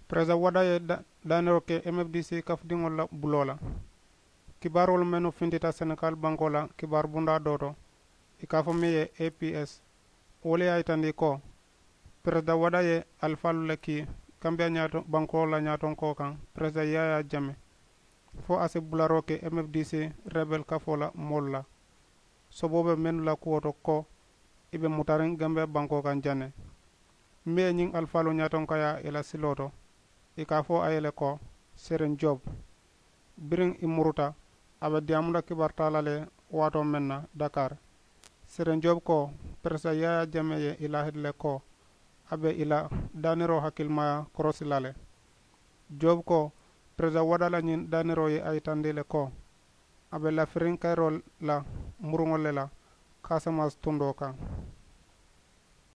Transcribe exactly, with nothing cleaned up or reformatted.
Peresidaŋ wada ye daaniroo ke m f d c kafudiŋolu la buloo la. Kibaaroolu mennu fintita senegal bankoo la kibaaru bundaa doo to, i ka a fo meŋ ye a p s, wo le ye a yitandi ko peresidaŋ wada ye alifaalu le kii kambiyaa ñaato bankoo la ñaatonkoo kaŋ, peresidaŋ yaayaa jame, fo a si bularoo ke m f d c rebel kafoo la moolu la. Soboo be mennu la kuwo to ko i be mutariŋ gambiyaa bankoo kaŋ jaŋ ne. Meŋ ye ñiŋ alifaaloo ñaatonkayaa i la siloo to, i ka a fo a ye le ko, seriŋ job. Biriŋ i muruta, a be diyaamu la kibaari taa la le waatoo meŋ na, dakar. Seriŋ job ko, peresidaŋ yaayaa jamee ye i laahidi le ko a be i la daaniroo hakilimayaa korosi la le. Job ko, peresidaŋ wada la ñiŋ daaniroo ye a yitandi le ko a be lafiriŋ kayiroo la muruŋolu le la, kaasamaasi tundoo kaŋ.